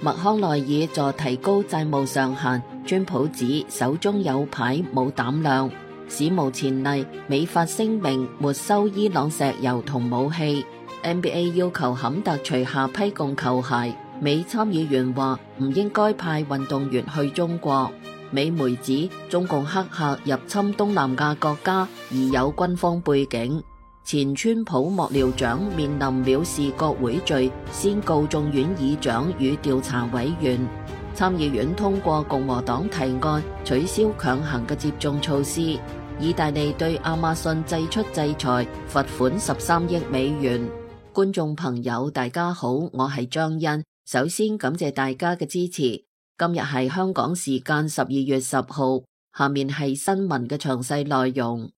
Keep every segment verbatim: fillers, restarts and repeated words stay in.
麥康奈爾助提高債務上限，川普指手中有牌冇膽量。史無前例，美法聲明沒收伊朗石油同武器。N B A 要求坎特除下批供球鞋，美參議員話唔應該派運動員去中國。美媒指中共黑客入侵東南亞國家而有軍方背景。前川普幕僚長面臨藐視國會罪，先告眾院議長與調查委員。參議院通過共和黨提案取消強行嘅接種措施。意大利對亞馬遜祭出制裁，罰款十三億美元。觀眾朋友大家好，我係張欣，首先感謝大家嘅支持。今日係香港時間十二月十號，下面係新聞嘅詳細內容。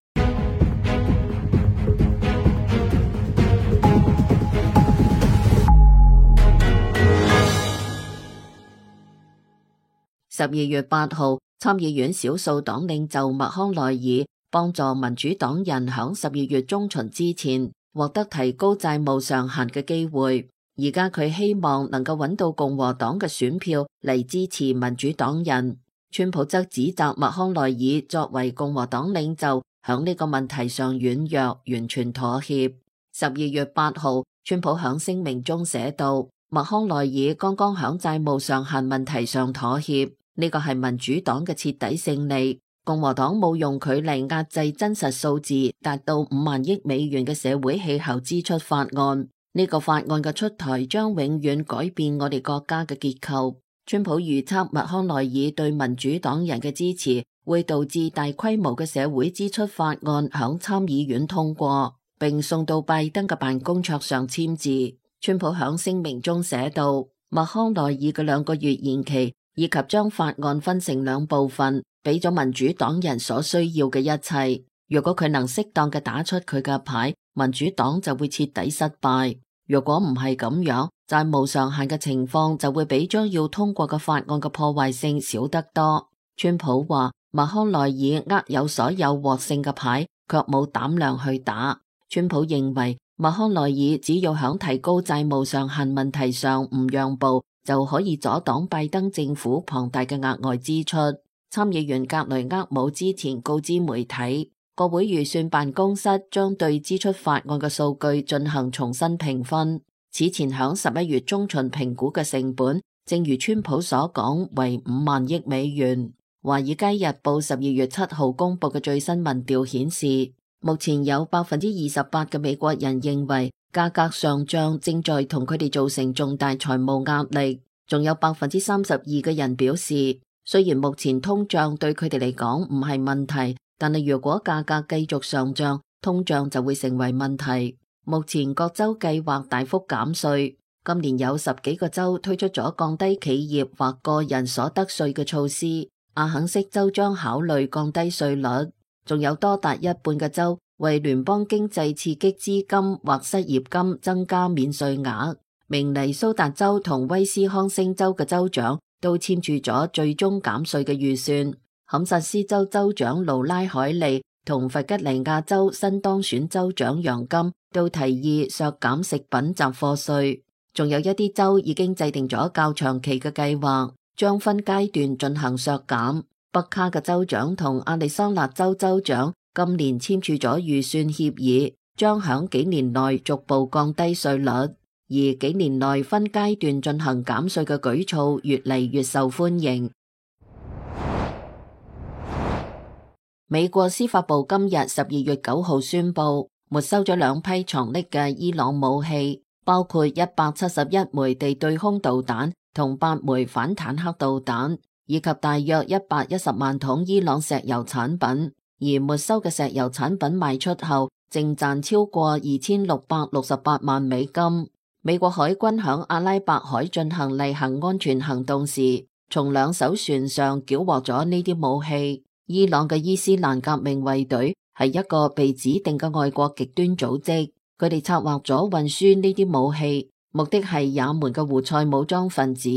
十二月八號，參議院少數黨領袖麥康奈爾幫助民主黨人響十二月中旬之前獲得提高債務上限嘅機會。而家佢希望能夠揾到共和黨嘅選票嚟支持民主黨人。川普則指責麥康奈爾作為共和黨領袖響呢個問題上軟弱，完全妥協。十二月八號，川普響聲明中寫道，麥康奈爾剛剛響債務上限問題上妥協。呢個係民主黨嘅徹底勝利。共和黨冇用佢嚟壓制真實數字達到五萬億美元嘅社會氣候支出法案。呢個法案嘅出台將永遠改變我哋國家嘅結構。川普預測麥康奈爾對民主黨人嘅支持會導致大規模嘅社會支出法案響參議院通過，並送到拜登嘅辦公桌上簽字。川普響聲明中寫道，麥康奈爾嘅兩個月延期以及將法案分成兩部分，俾咗民主黨人所需要嘅一切。如果佢能適當嘅打出佢嘅牌，民主黨就會徹底失敗。如果唔係咁樣，債務上限嘅情況就會比將要通過嘅法案嘅破壞性少得多。川普話，麥康奈爾握有所有獲勝嘅牌，卻冇膽量去打。川普認為麥康奈爾只要響提高債務上限問題上唔讓步，就可以阻擋拜登政府龐大嘅額外支出。參議員格雷厄姆之前告知媒體，國會預算辦公室將對支出法案嘅數據進行重新評分。此前響十一月中旬評估嘅成本，正如川普所講，為五萬億美元。華爾街日報十二月七號公布嘅最新民調顯示，目前有百分之二十八嘅美國人認為價格上漲正在同佢哋造成重大財務壓力，仲有百分之三十二嘅人表示，雖然目前通脹對佢哋嚟講唔係問題，但係如果價格繼續上漲，通脹就會成為問題。目前各州計劃大幅減稅，今年有十幾個州推出咗降低企業或個人所得稅嘅措施，阿肯色州將考慮降低稅率，仲有多達一半嘅州為聯邦經濟刺激資金或失業金增加免稅額。明尼蘇達州同威斯康星州嘅州長都簽署咗最終減稅嘅預算。堪薩斯州州長盧拉海利同弗吉尼亞州新當選州長楊金都提議削減食品雜貨稅。仲有一啲州已經制定咗較長期嘅計劃，將分階段進行削減。北卡嘅州長同亞利桑那州州長今年簽署咗預算協議，將響幾年內逐步降低稅率，而幾年內分階段進行減稅嘅舉措越嚟越受歡迎。美國司法部今日十二月九號宣布，沒收咗兩批藏匿嘅伊朗武器，包括一百七十一枚地對空導彈同八枚反坦克導彈，以及大約一百一十萬桶伊朗石油產品。而沒收嘅石油產品賣出後，淨賺超過二千六百六十八萬美金。美國海軍響阿拉伯海進行例行安全行動時，從兩艘船上繳獲咗呢啲武器。伊朗嘅伊斯蘭革命衛隊係一個被指定嘅外國極端組織，佢哋策劃咗運輸呢啲武器，目的係也門嘅胡塞武裝分子。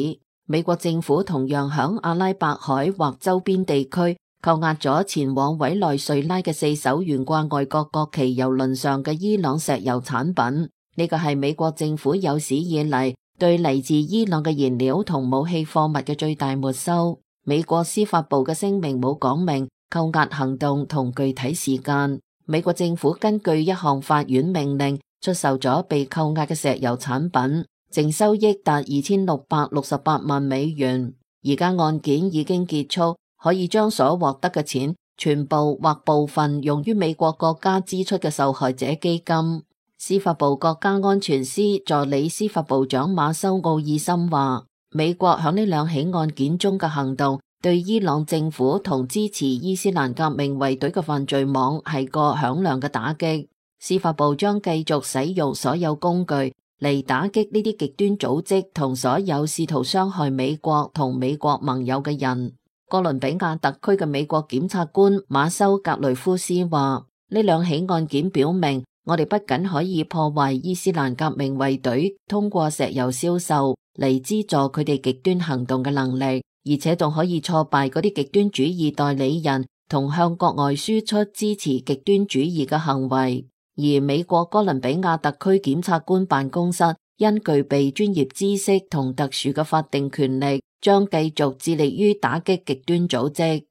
美國政府同樣響阿拉伯海或周邊地區扣押咗前往委內瑞拉嘅四艘懸掛外國國旗郵輪上嘅伊朗石油產品。呢個係美國政府有史以嚟對嚟自伊朗嘅燃料同武器貨物嘅最大沒收。美國司法部嘅聲明冇講明扣押行動同具體時間。美國政府根據一項法院命令出售咗被扣押嘅石油產品，淨收益達二千六百六十八萬美元。而家案件已經結束，可以將所獲得嘅錢全部或部分用於美國國家支出嘅受害者基金。司法部國家安全司助理司法部長馬修奧爾森話，美國響呢兩起案件中嘅行動對伊朗政府同支持伊斯蘭革命衛隊嘅犯罪網係個響亮嘅打擊。司法部將繼續使用所有工具嚟打擊呢啲極端組織同所有試圖傷害美國同美國盟友嘅人。哥倫比亞特區嘅美國檢察官馬修格雷夫斯話，呢兩起案件表明，我哋不僅可以破壞伊斯蘭革命衛隊通過石油銷售嚟資助佢哋極端行動嘅能力，而且仲可以挫敗嗰啲極端主義代理人同向國外輸出支持極端主義嘅行為。而美國哥倫比亞特區檢察官辦公室因具備專業知識同特殊嘅法定權力，將繼續致力於打擊極端組織。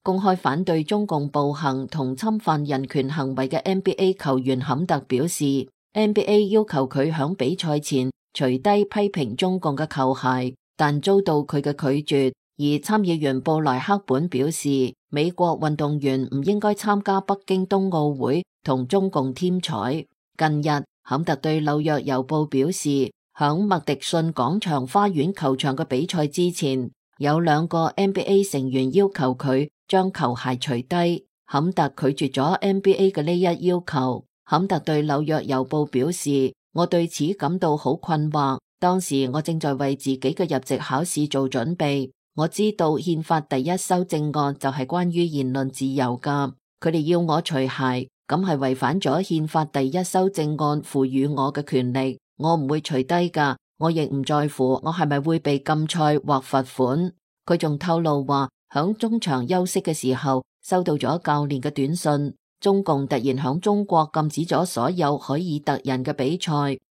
公開反對中共暴行同侵犯人權行為嘅 N B A 球員坎特表示， N B A 要求佢響比賽前除低批評中共嘅球鞋，但遭到佢嘅拒絕。而參議員布萊克本表示，美國運動員唔應該參加北京冬奧會同中共添彩。近日，坎特對紐約郵報表示，響麥迪遜廣場花園球場嘅比賽之前，有兩個 N B A 成員要求佢將球鞋除低，坎特拒絕咗 N B A 嘅呢一要求。坎特對紐約郵報表示，我對此感到好困惑，當時我正在為自己嘅入籍考試做準備。我知道憲法第一修正案就係關於言論自由噶，佢哋要我除鞋，咁係違反咗憲法第一修正案賦予我嘅權利，我唔會除低噶，我亦唔在乎我係咪會被禁賽或罰款。佢仲透露話，響中場休息嘅時候收到咗教練嘅短信，中共突然響中國禁止咗所有凱爾特人嘅比賽，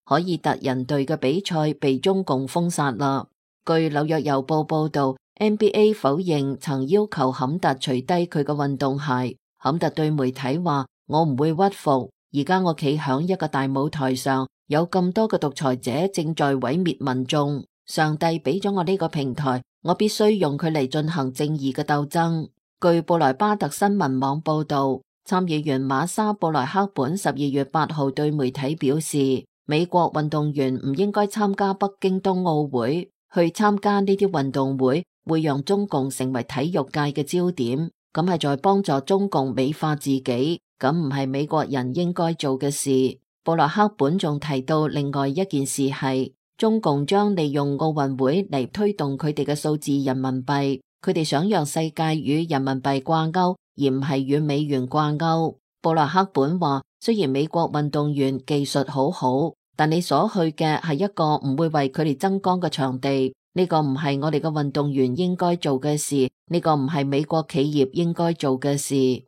凱爾特人隊嘅比賽被中共封殺啦。據紐約郵報報道，N B A 否認曾要求坎特除低佢嘅運動鞋。坎特對媒體話，我唔會屈服，而家我企響一個大舞台上，有咁多嘅獨裁者正在毀滅民眾，上帝俾咗我呢個平台，我必須用佢嚟進行正義嘅鬥爭。據布萊巴特新聞網報道，參議員馬莎布萊克本十二月八號對媒體表示，美國運動員唔應該參加北京冬奧會，去參加呢啲運動會會讓中共成為體育界嘅焦點，咁係在幫助中共美化自己，咁唔係美國人應該做嘅事。布萊克本仲提到另外一件事係，中共將利用奧運會嚟推動佢哋嘅數字人民幣，佢哋想讓世界與人民幣掛鈎，而唔係與美元掛鈎。布萊克本話，雖然美國運動員技術好好，但你所去嘅係一個唔會為佢哋增光嘅場地。呢個唔係我哋嘅運動員應該做嘅事，呢個唔係美國企業應該做嘅事。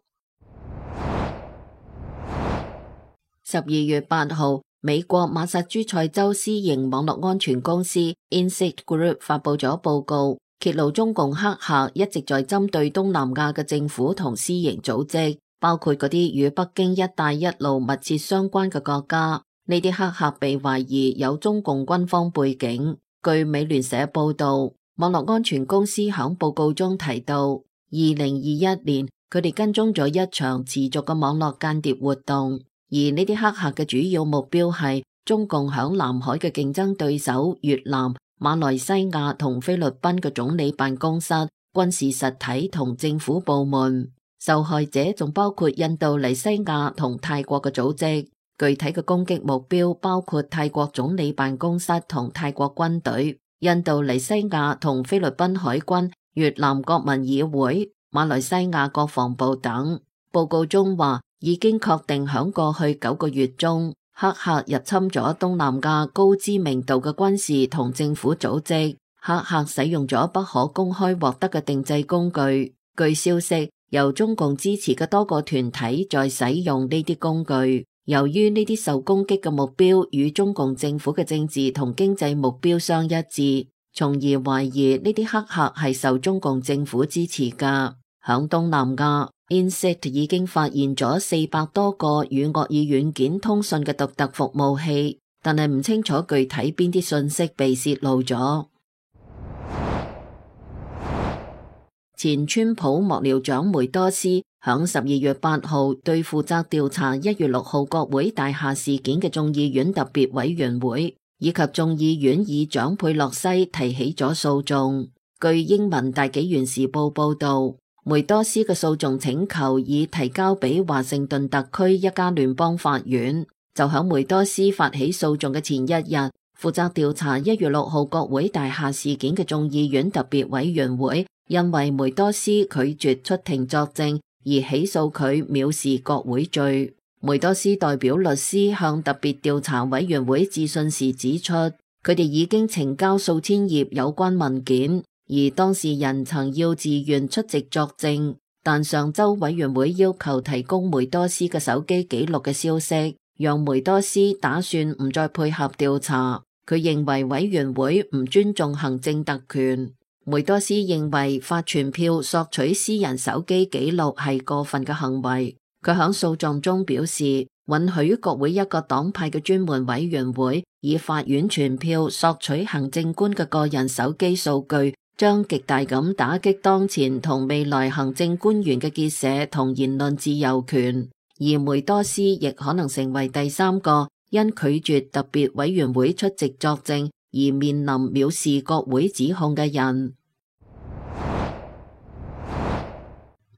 十二月八號，美國馬薩諸塞州私營網絡安全公司 Insight Group 發佈咗報告，揭露中共黑客一直在針對東南亞嘅政府同私營組織，包括嗰啲與北京一帶一路密切相關嘅國家。呢啲黑客被懷疑有中共軍方背景。據美聯社報道，網絡安全公司響報告中提到，二零二一年佢哋跟蹤咗一場持續嘅網絡間諜活動，而呢啲黑客嘅主要目標係中共響南海嘅競爭對手越南、馬來西亞同菲律賓嘅總理辦公室、軍事實體同政府部門。受害者仲包括印度尼西亞同泰國嘅組織。具體嘅攻擊目標包括泰國總理辦公室同泰國軍隊、印度尼西亞同菲律賓海軍、越南國民議會、馬來西亞國防部等。報告中話，已經確定響過去九個月中，黑客入侵咗東南亞高知名度嘅軍事同政府組織。黑客使用咗不可公開獲得嘅定製工具。據消息，由中共支持嘅多個團體在使用呢啲工具。由於呢啲受攻擊嘅目標與中共政府嘅政治同經濟目標相一致，從而懷疑呢啲黑客係受中共政府支持㗎。響東南亞 I N S I T 已經發現咗四百多個與惡意軟件通訊嘅獨特服務器，但係唔清楚具體邊啲信息被洩露咗。前川普幕僚長梅多斯響十二月八號對負責調查一月六號國會大廈事件嘅眾議院特別委員會以及眾議院議長佩洛西提起咗訴訟。據英文大紀元時報報道，梅多斯嘅訴訟請求已提交俾華盛頓特區一家聯邦法院。就響梅多斯發起訴訟嘅前一日，負責調查一月六號國會大廈事件嘅眾議院特別委員會因為梅多斯拒絕出庭作證而起訴佢藐視國會罪。梅多斯代表律師向特別調查委員會致信時指出，佢哋已經呈交數千頁有關文件，而當事人曾要自願出席作證，但上周委員會要求提供梅多斯嘅手機記錄嘅消息，讓梅多斯打算唔再配合調查。佢認為委員會唔尊重行政特權。梅多斯認為發傳票索取私人手機記錄係過分嘅行為。佢響訴狀中表示，允許國會一個黨派嘅專門委員會以法院傳票索取行政官嘅個人手機數據，將極大咁打擊當前同未來行政官員嘅結社同言論自由權。而梅多斯亦可能成為第三個因拒絕特別委員會出席作證而面臨藐視國會指控嘅人。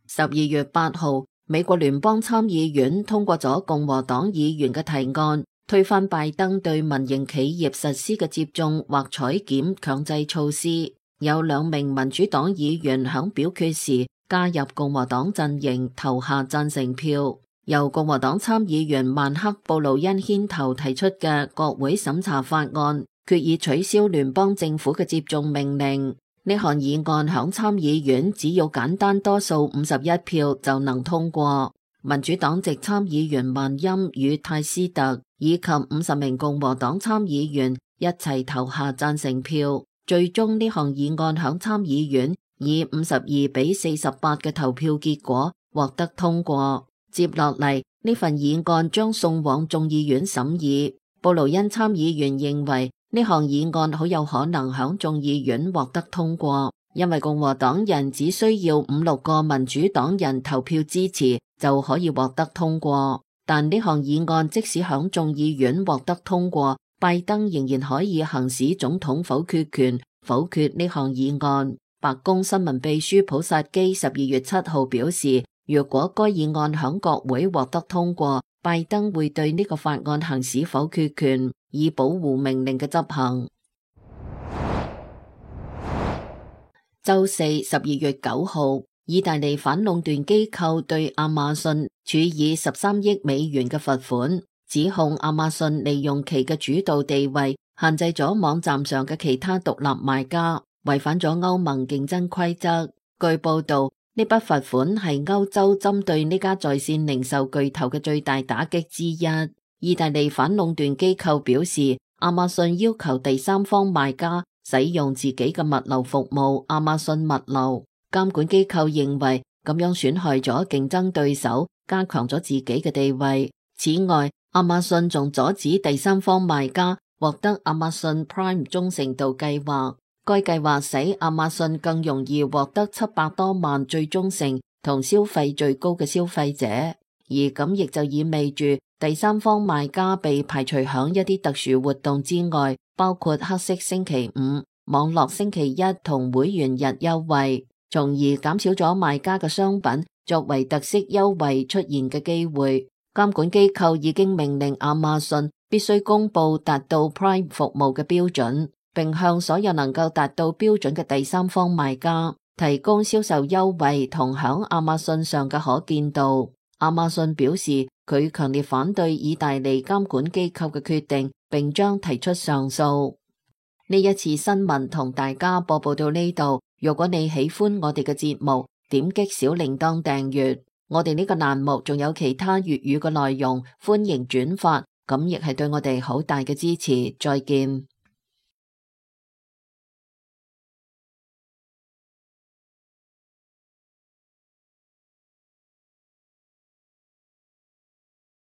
十二月八號，美國聯邦參議院通過咗共和黨議員嘅提案，推翻拜登對民營企業實施嘅接種或採檢強制措施。有兩名民主黨議員響表決時加入共和黨陣營，投下贊成票。由共和黨參議員曼克布魯恩牽頭提出嘅國會審查法案，決議取消聯邦政府嘅接種命令。呢項議案響參議院只要簡單多數五十一票就能通過。民主黨籍參議員曼欽與泰斯特以及五十名共和黨參議員一齊投下贊成票，最終呢項議案響參議院以五十二比四十八嘅投票結果獲得通過。接落嚟，呢份議案將送往眾議院審議。布魯恩參議員認為呢項議案好有可能響眾議院獲得通過，因為共和黨人只需要五六個民主黨人投票支持就可以獲得通過。但呢項議案即使響眾議院獲得通過，拜登仍然可以行使總統否決權，否決呢項議案。白宮新聞秘書普薩基十二月七號表示，若果該議案響國會獲得通過，拜登會對呢個法案行使否決權，以保護命令嘅執行。周四十二月九號，意大利反壟斷機構對亞馬遜處以十三億美元嘅罰款，指控亞馬遜利用其嘅主導地位，限制咗網站上嘅其他獨立賣家，違反咗歐盟競爭規則。據報道，呢筆罰款係歐洲針對呢家在線零售巨頭嘅最大打擊之一。意大利反壟斷機構表示，亞馬遜要求第三方賣家使用自己嘅物流服務亞馬遜物流。監管機構認為咁樣損害咗競爭對手，加強咗自己嘅地位。此外，亞馬遜仲阻止第三方賣家獲得亞馬遜 Prime 忠誠度計劃。該計劃使亞馬遜更容易獲得七百多萬最忠誠同消費最高嘅消費者，而咁亦就意味住第三方賣家被排除響一啲特殊活動之外，包括黑色星期五、網絡星期一同會員日優惠，從而減少咗賣家嘅商品作為特色優惠出現嘅機會。監管機構已經命令亞馬遜必須公布達到 Prime 服務嘅標準，並向所有能夠達到標準嘅第三方賣家提供銷售優惠同響亞馬遜上嘅可見度。亞馬遜表示佢強烈反對意大利監管機構嘅決定，並將提出上訴。呢一次新聞同大家播報到呢度。如果你喜歡我哋嘅節目，點擊小鈴鐺訂閱。我哋呢個欄目仲有其他粵語嘅內容，歡迎轉發，咁亦係對我哋好大嘅支持。再見。